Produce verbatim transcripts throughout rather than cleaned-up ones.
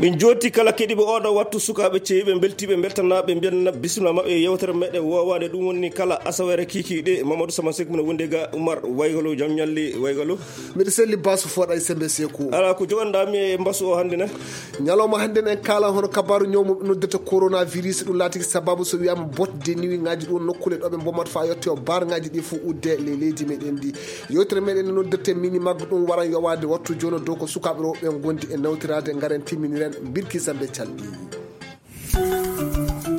Min jooti kala keɗiiɓe oɗo wattu, sukaaɓe ceyiiɓe, mbeltiiɓe, mbeltanaaɓe, mbiyan bisimilla maɓɓe e yewtere meɗen woowaande. Ɗum woni kala asaweere kiikiiɗe, Mamadou Sama Seck mino wondi ga Oumar Waygalo, jam ñalli Waygalo. Miɗo selli Basu Foɗa e Sembe Seku. Ala ko joganɗaa mi e mbasu o hannde ne? Ñalawma hannde ne en kaala hono kabaaru ñaw mo noddirta coronavirus, ɗum laatiki sababu so wiyaama botte de nuit ŋaaji ɗum nokkule ɗo ɓe mbommata faa yotte o barŋaaji ɗi fof udde le leydi meɗen ndi. Yewtere meɗen noddirte mini maggo ɗum waran yowaade wattu jooni dow ko sukaaɓe rewɓe ngondi e nawtiraade ngaren timminiren mbirki Zambe calɗi.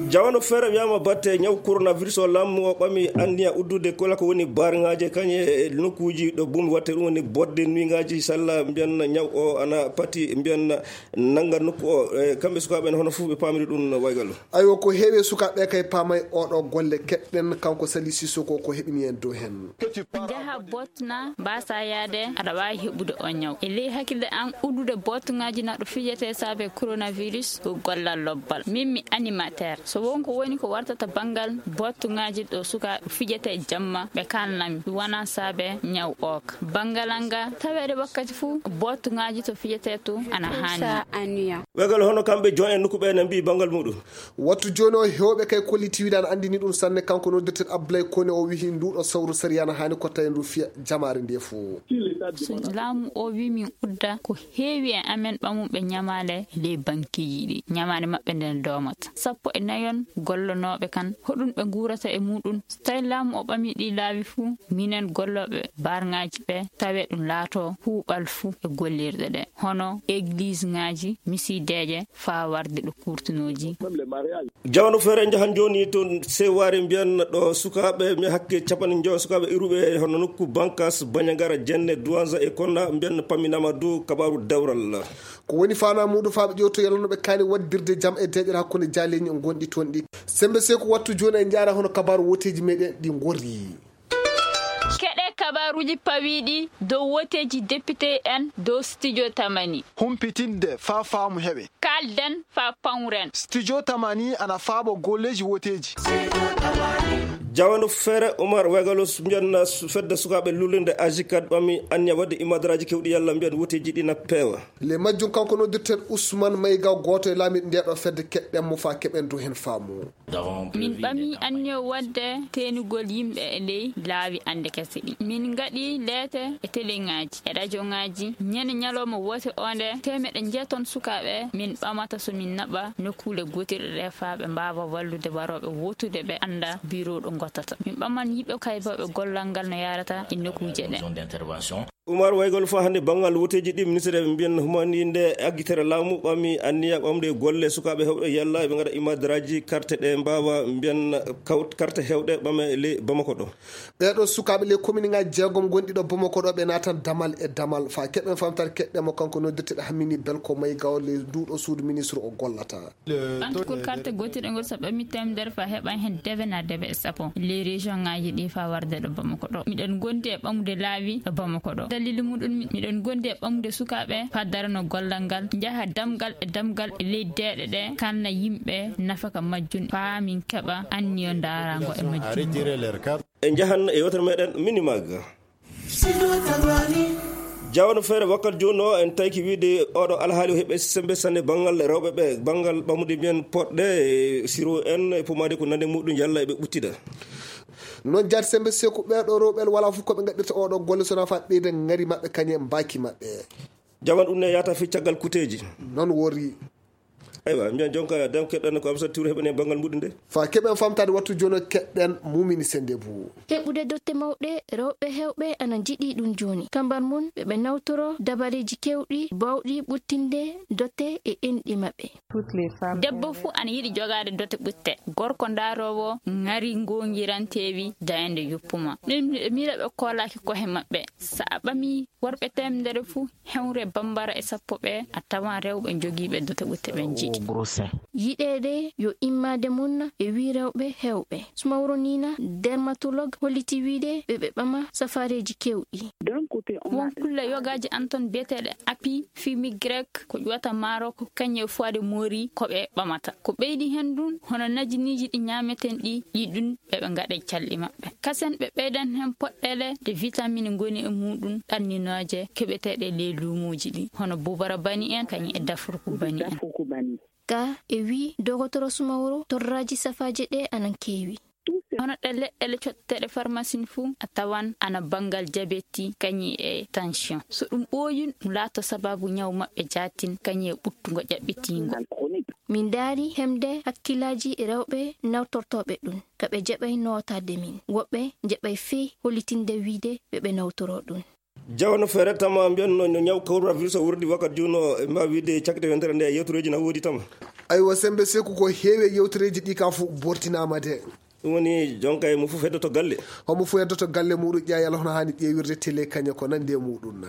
Jawano feere wiyaama batte ñaw coronavirus o, laamu o ɓami anniya uddude kala ko woni barŋaaje kañe e nokkuuji ɗo bum watte ɗum woni botte de nuit ŋaaji salla mbiyan ñaw o ana pati mbiyan nannga nokku o. E kamɓe sukaaɓe en hono fof ɓe paamiri ɗum Waygalo. Aywa, ko heewi e sukaaɓe kay paamay oɗo golle keɗɗen kanko Sali Sissoko ko heɓini en dow hen. Njaha botna mbasa yaade aɗa waawi heɓude o ñaw. E ley hakkille an uddude bottuŋaaji naɗo fijete saabe coronavirus ko gollal lobbal. Min mi animateur. So won ko woni ko wartata banngal bottuŋaaji ɗo sukaaɓe fijete jamma ɓe kalnami ɗum wona saabe ñaw ok. Banngal an ga taweede wakkati fuu bottuŋaaji to fijete to ana haani. Waygalo hono kamɓe jon en nokku ɓe ne mbiyi banngal muɗum. Wattu jooni o heewɓe kay kolliti wiide ana anndini ɗum sanne kanko noddirteɗo Abdoulaye Kone o wihi nduɗo sawru sariya ana haani ko tawi ndu fiya jamaare nde fof. So laamu o wi min udda ko heewi e amen ɓamuɓe ñamaale e ley bankiiji ɗi ñamaale maɓɓe nden doomata sappo e nayon gollonooɓe kan hoɗum ɓe nguurata e muɗum. So tawi laamu o ɓami ɗi laawi fuu minen gollooɓe barŋaaji ɓe tawe ɗum laato kuuɓal fuu e gollirɗe ɗe hono egliseŋaaji misideeje faa warde ɗo kurtunooji. Jawano feere njahan jooni to sewaare mbiyan ɗo sukaaɓe mi hakke capanɗe njoyo sukaaɓe iruɓe hono nokku bankas bañagara jenne duwanza e konna mbiyan paminama dow kabaaru dawral. Ko woni faanaa muɗum faa ɓe ƴewto yalano ɓe kaani waɗdirde jam e deeƴere hakkunde jaaleeñi gonɗi toon ɗi. Sembe Seeku wattu jooni e njaara hono kabaaru woteeji meɗen ɗi ngorri. Keɗe kabaaruuji pawiiɗi dow woteeji depite en dow studio tamani. Humpitinde faa faamu heɓe. Kaalden faa pawren. Studio tamani ana faabo golleeji woteeji. Jawano feere Umar Waygalos mbiyan fedde sukaaɓe lullinde ajikat ɓami anniya waɗde imadaraaji kewɗi yalla mbiyan woteeji ɗi na peewa. Le majjum kanko noddirten Ousmane Mayga gooto e laamiiɗo ndeeɗo fedde keɗɗen mo faa keɓen dow heen faamu. Min ɓami anniya waɗde teenugol yimɓe e ley laawi annde kese ɗi. Min ngaɗi leete e teleŋaaji e rajoŋaaji ñande ñalawma woote o nde teemeɗe njeeton sukaaɓe min ɓamata so min naɓa nokkuule gootirɗe ɗe faa ɓe mbaawa wallude warooɓe wootude ɓe annda biro ɗo ngottata. Min ɓaman yiɓe kaybooɓe gollal ngal no yaarata e nokkuuje ɗe. Umar Waygol faa hannde banngal woteeji ɗi ministre ɓe mbiyan humani nde aggitere laamu ɓami anniya ɓamde golle sukaaɓe heewɓe yalla ɓe ngaɗa imadaraaji karte ɗe mbaawa mbiyan kawt karte heewɗe ɓame ley Bamako ɗo. Ɓeeɗo sukaaɓe ley kominiŋaaji jeegom gonɗi ɗo Bamako ɗo ɓe naatan damal e damal faa keɓen famtare keɗɗe mo kanko noddirteɗo Hammini Belko Maygawo ley nduuɗo suudu ministre o gollata. Ɓantukol karte gootirɗe ngol so ɓami teemedere faa heɓan heen debe na debe e sappo ley région ŋaaji ɗi faa warde ɗo Bamako ɗo. Miɗen gondi e ɓamude laawi ɗo Bamako ɗo. Dalili muɗum miɗen gondi e ɓamude sukaaɓe faa darano gollal ngal njaha damgal e damgal e ley deeɗe ɗe kalna yimɓe nafaka majjum faa min keɓa anniyo ndaaraango e majjum. E njahan e yewtere meɗen Minimag. Jawano feere wakkal jooni o en tawki wiide oɗo alhaali o heɓe sembe sanne banngal rewɓe ɓe banngal ɓamude mbiyen poɗɗe e siro en e pomade ko nande muɗum yalla eɓe ɓuttida. Noon jaati sembe seeku ɓeeɗo rewɓe wala fof koɓe ngaɗirta oɗo golle sona fa ɓeyda ngari maɓɓe kañe mbaaki maɓɓe. Jaman ɗum ne yata fi caggal kuteeji. Noon wori. Aywa mbiyan jonka dem keɗɗen ko Amsa Touré heɓene banngal muɗum nde. Fa keɓen famtade wattu jono keɗɗen mumini sende bu. Heɓude dotte mawɗe rewɓe hewɓe ana njiɗi ɗum jooni kamban mun ɓe ɓe nawtoro dabareeji kewɗi bawɗi ɓuttinde dotte e enɗi maɓɓe. Debbo fuu ana yiɗi jogaade dotte ɓutte gorko ndaaroowo ŋari ngongiranteewi dayande yoppuma ɗum miɗo miila ɓe koolaaki kohe maɓɓe. So a ɓami worɓe teemedere fuu hewre bambara e sappo ɓe a tawan rewɓe jogiiɓe dote ɓutte ɓe njiɗi. yiɗeede yo immade mum e wii rewɓe heewɓe. Sumaworo Nina, dermatologue, holliti wiide ɓe ɓe ɓama safaareeji keewɗi. Won kulle yogaaji anton biyeteeɗe api fimigrek ko ƴuwata Maroc, kañum e foire de Mori ko ɓe ɓamata. Ko ɓeydi heen ɗum, hono najiniiji ɗi ñaameten ɗi, ɗi ɗum ɓe ɓe ngaɗa e calɗi maɓɓe. Kasen ɓe ɓeydan heen poɗɗeele de vitamine ngoni e muɗum ɗanninooje keɓeteeɗe e ley luumooji ɗi, hono bubara bani en, kañum e dafruku bani en. Ka e wii dogotoro Sumaworo, torraaji safaaje ɗe anan keewi. Hono ɗe leɗɗele cotteteeɗe farmasin fuu, a tawan ana banngal jabeti, kañum e tension. So ɗum ɓooyun, ɗum laato sababu ñaw maɓɓe jaatin, kañum e ɓuttungo ƴaɓɓitiingo. Min ndaari hemde hakkillaaji rewɓe nawtortooɓe ɗum, ka ɓe jaɓay nootaade min. Woɓɓe jaɓay fey hollitinde wiide ɓe ɓe nawtoroo ɗum. Jawano feere tama mbiyan no, no ñaw coronavirus o wurdi wakkati juuno, e mbawi wiide cakkite wentere nde yewtureji na woodi tama. Aywa, Sembe Seku, ko heewi e yewtereeji ɗi ka fof bortinaama de. Ɗum woni jonka e mo fof heddoto galle. Homo fof heddoto galle muɗum, ƴeewa yalla hono haani ƴeewirde télé kañe ko nandi e muɗum na.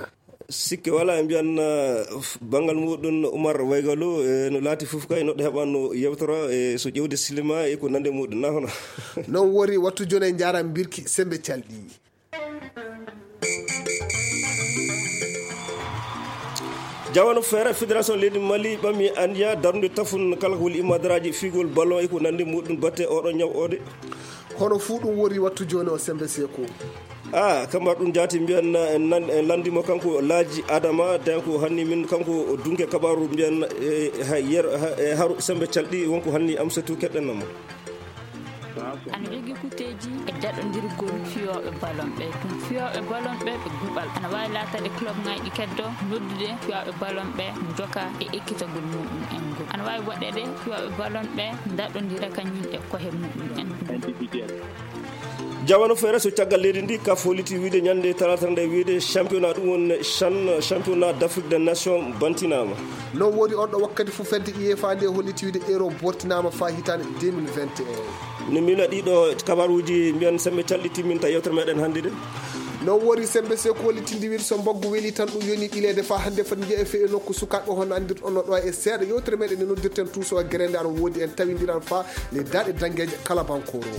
Sikke wala, mbiyan, uh, f-, banngal muɗum Umar Waygalo, e no laati fof kay noɗɗo heɓanno yewtora, e so ƴewde silima e ko nandi e muɗum na hono. Noon wori wattu jooni e njaram mbirki Sembe Calɗi. Jawano feere, fédération leydi Mali ɓami anniya darnude tafun kala ko woni immadaraaji figol ballon e ko nandi muɗum batte oɗo ñaw ode. Hono fuu ɗum wori wattu jooni o Sembe Seku. Ah, kamar ɗum jaati mbiyan na, en nan, en landimo kanko Laaji Adama, den ko hanni min kanko dunke kabaru mbiyan, eh, ha yer, ha, eh, haru Sembe Calɗi wonko hanni am setu keɗɗen mo. Ana jogii kuteeji e daɗondirgol fiyooɓe ballon ɓe. Ɗum fiyooɓe ballon ɓe ɓe guɓal. Ana waawi laataade club ŋaaji keddo noddude fiyooɓe ballon ɓe njoka e ekkitagol muɗum en ngol. Ana waawi waɗeede fiyooɓe ballon ɓe daɗondira kañum e kohe muɗum en. Jawano feere so caggal leydi ndi ka foliti wiide ñande talaata nde wiide championnat ɗum woni chan, championnat d'Afrique des nations bantinaama. Noon woni on ɗo wakkati fof fedde UEFA nde holliti wiide euro bortinaama faa hitaande deux mille vingt et un. No mbiila ɗiɗo kabaruuji mbiyan Sembe Calɗi timminta yewtere meɗen hannde de. Noon woni Sembe Seku hollitinde wiide so mbaggu weli tan ɗum yoni ɓileede faa hannde foti njeya fee e nokku sukaaɓe hono anndirɗon no ɗo e seeɗa yewtere meɗen nde noddirten tuuso gere nde ana woodi en tawindiran faa le daɗe dangeeje kala bankoro.